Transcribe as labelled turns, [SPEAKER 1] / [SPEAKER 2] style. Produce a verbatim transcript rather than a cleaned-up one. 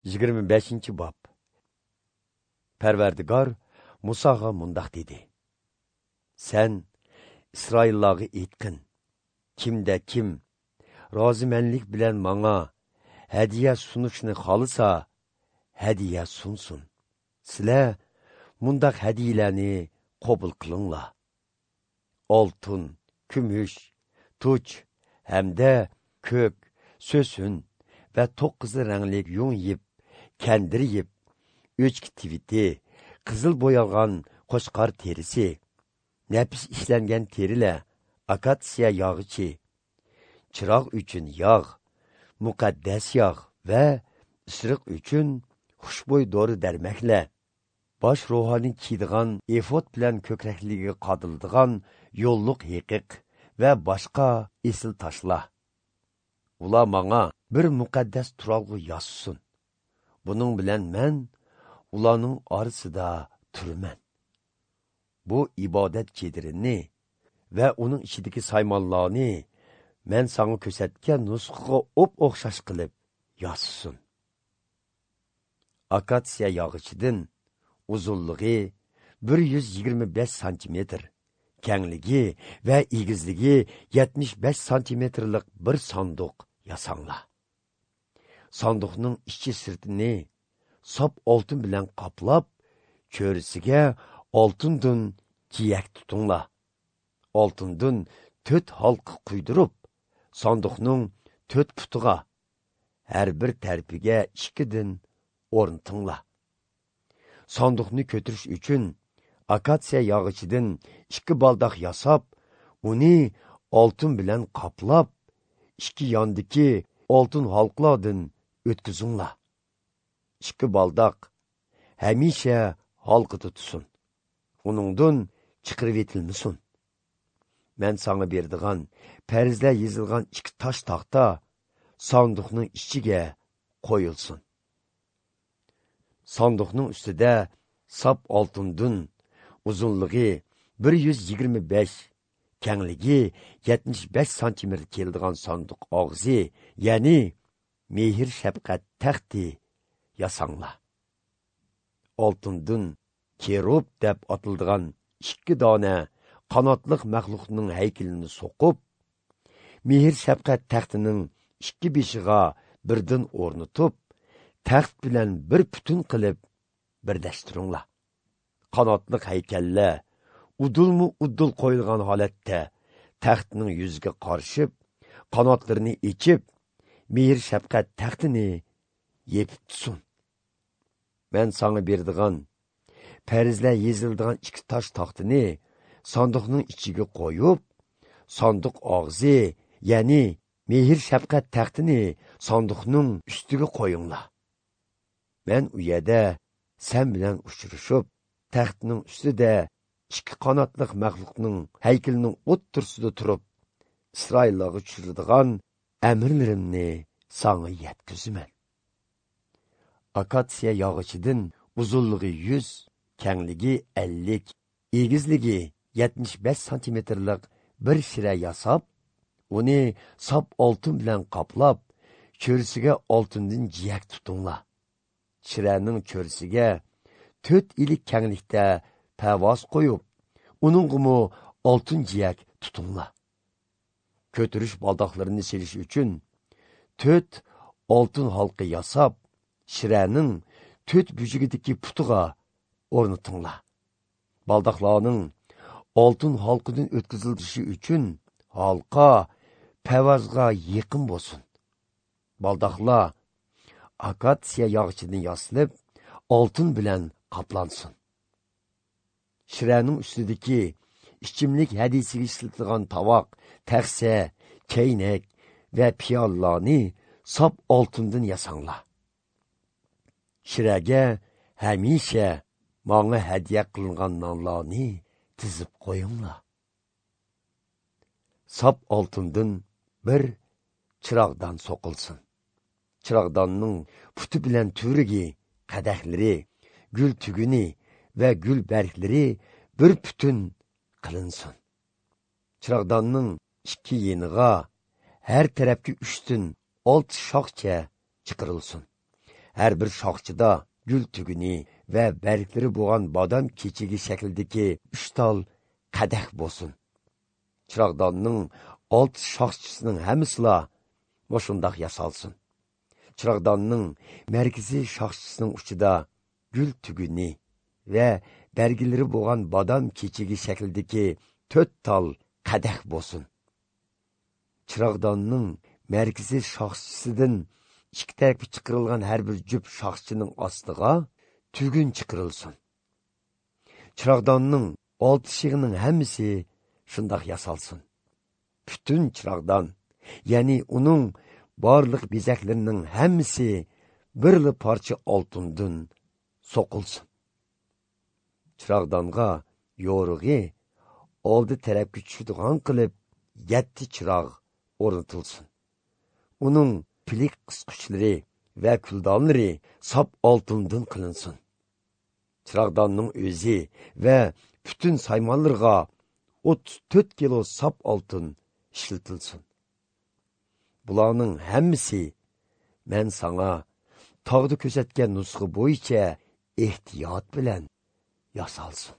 [SPEAKER 1] Yigirma beshinchi bob. Parvardigor Musoga mundoq dedi: Sen Isroillarga aytqin, kimda kim rozimanlik bilan manga hadiya sunishni xohlasa, hadiya sunsin. Sizlar mundaq hadiyalarni qabul qilinglar: oltin, kumush, tuch hamda ko'k, so'sin va to'qqiz rangli yung yip, kendir yip, o'chki tiviti, qizil bo'yalgan qo'chqor terisi, nafis ishlangan terilar, akatsiya yog'ichi, chiroq uchun yog', muqaddas yog' va isriq uchun xushbo'y dori darmaklar, bosh ruhoniy kiydigan efod bilan ko'krakligiga qadildigan yo'lliq heqiq va boshqa esil toshlar. Ular manga bir muqaddas turalg'u yassin. Buning bilan men ularning orasida turaman. Bu ibodat chedirini va uning ichidagi saymonlarni men sanga ko'rsatgan nusxaga o'p-o'xshash qilib yassin. Akatsiya yog'ichidan uzunligi bir yuz yigirma besh santimetr, kengligi va egizligi yetmish besh santimetrlik bir sanduq yasanglar. Sanduqning ichi sirtini sop oltin bilan qoplab, cho'risiga oltindan jiyak tutinglar. Oltindan to'rt halqa quydirib, sanduqning to'rt putiga har bir tarafiga ikkidan o'rnatinglar. Sanduqni ko'tarish uchun akatsiya yog'ichidan ikki baldoq yasab, uni oltin bilan qoplab, ikki yondagi oltin halqalardan o'tkazinglar. Ikki baldoq hamisha halqada tursin. Uningdan chiqarib etilmasin. Men sana berdigan farzlar yozilgan ikki tosh taxta sanduqning ichiga qo'yilsin. Sanduqning ustida sap oltindan uzunligi bir yuz yigirma besh, kengligi yetmish besh santimetr keladigan sanduq og'zi, ya'ni mehr shafqat taxti yasanglar. Oltindan kerub deb atildigan ikki dona qanotliq maxluqning haykalini so'qib, mehr shafqat taxtining ikki beshiga birdan o'rnatib, taxt bilan bir butun qilib birlashtiringlar. Qanotliq haykallar udulmu udul qo'yilgan holatda taxtning yuziga qarshib, qanotlarini ichib, mehr shafqat taxtini yepib tutsin. Men sana berdigan farzlar yozildigan ikki tosh taxtini sanduqning ichiga qo'yib, sanduq og'zi, ya'ni mehr shafqat taxtini sanduqning ustiga qo'yinglar. Men u yerda sen bilan uchrashib, taxtning ustida ikki qanotliq maxluqning haykalining o'ttirsida turib, Isroillarga tushiradigan amrlarimni sanga yetkazaman. Akatsiya yog'ichidan uzunligi yuz, kengligi ellik, egizligi yetmish besh santimetrlik bir shira yasab, uni sap oltin bilan qoplab, cho'risiga oltindan jiyak tutinglar. Shiraning cho'risiga to'rt ilik kenglikda pavoz qo'yib, uningmi oltin jiyak tutinglar. Ko'tarish baldoqlarini selish uchun to'rt oltin halqa yasab, shiraning to'rt bujigidagi putiga o'rnatinglar. Baldoqlarning oltin halqidan o'tkazilishi uchun halqa pavozga yaqin bo'lsin. Baldoqlar akatsiya yog'ichidan yasalib, oltin bilan qoplansin. Shiraning ustidagi ichimlik hadisiga ishlatilgan tovoq, taxsa, chaynak va piyollarni sop oltindan yasanglar. Shiraga hamisha manga hadiya qilingan nonlarni tizib qo'yinglar. Sop oltindan bir chiroqdan so'qilsin. Chiroqdanning puti bilan turigi, qadahlari, gul tuguni va gul barglari bir butun qilinsin. Chiroqdanning ikki yeniga har tarafga uchdan olti shoxcha chiqarilsin. Har bir shoxchida gul tuguni va barglari bo'lgan bodom kechigi shaklidagi uch tal qadah bo'lsin. Chirog'donning olti shoxchisining hammasila shundoq yasalsin. Chirog'donning markaziy shoxchisining uchida gul tuguni va barglari bo'lgan bodom kechigi shaklidagi to'rt tal qadah bo'lsin. Chirog'donning markaziy shoxchisidan ikki tarafga chiqarilgan har bir jup shoxchining ostiga tugun chiqarilsin. Chirog'donning olti shig'ining hammasi shundoq yasalsin. Butun chirog'don, ya'ni uning barliq bezaklarining hammasi birli parcha oltindan so'qilsin. Chirog'donga yo'rig'i oldi tarafga tushadigan qilib yetti chiroq o'rnatilsin. Uning pilik qisquchlari va kuldonlari sop oltindan qilinsin. Chirog'donning o'zi va butun saymonlarga o'ttiz to'rt kilo sop oltin ishlatilsin. Bularning hammasi men sana tog'da ko'rsatgan nusxa bo'yicha ehtiyot bilan yasalsin.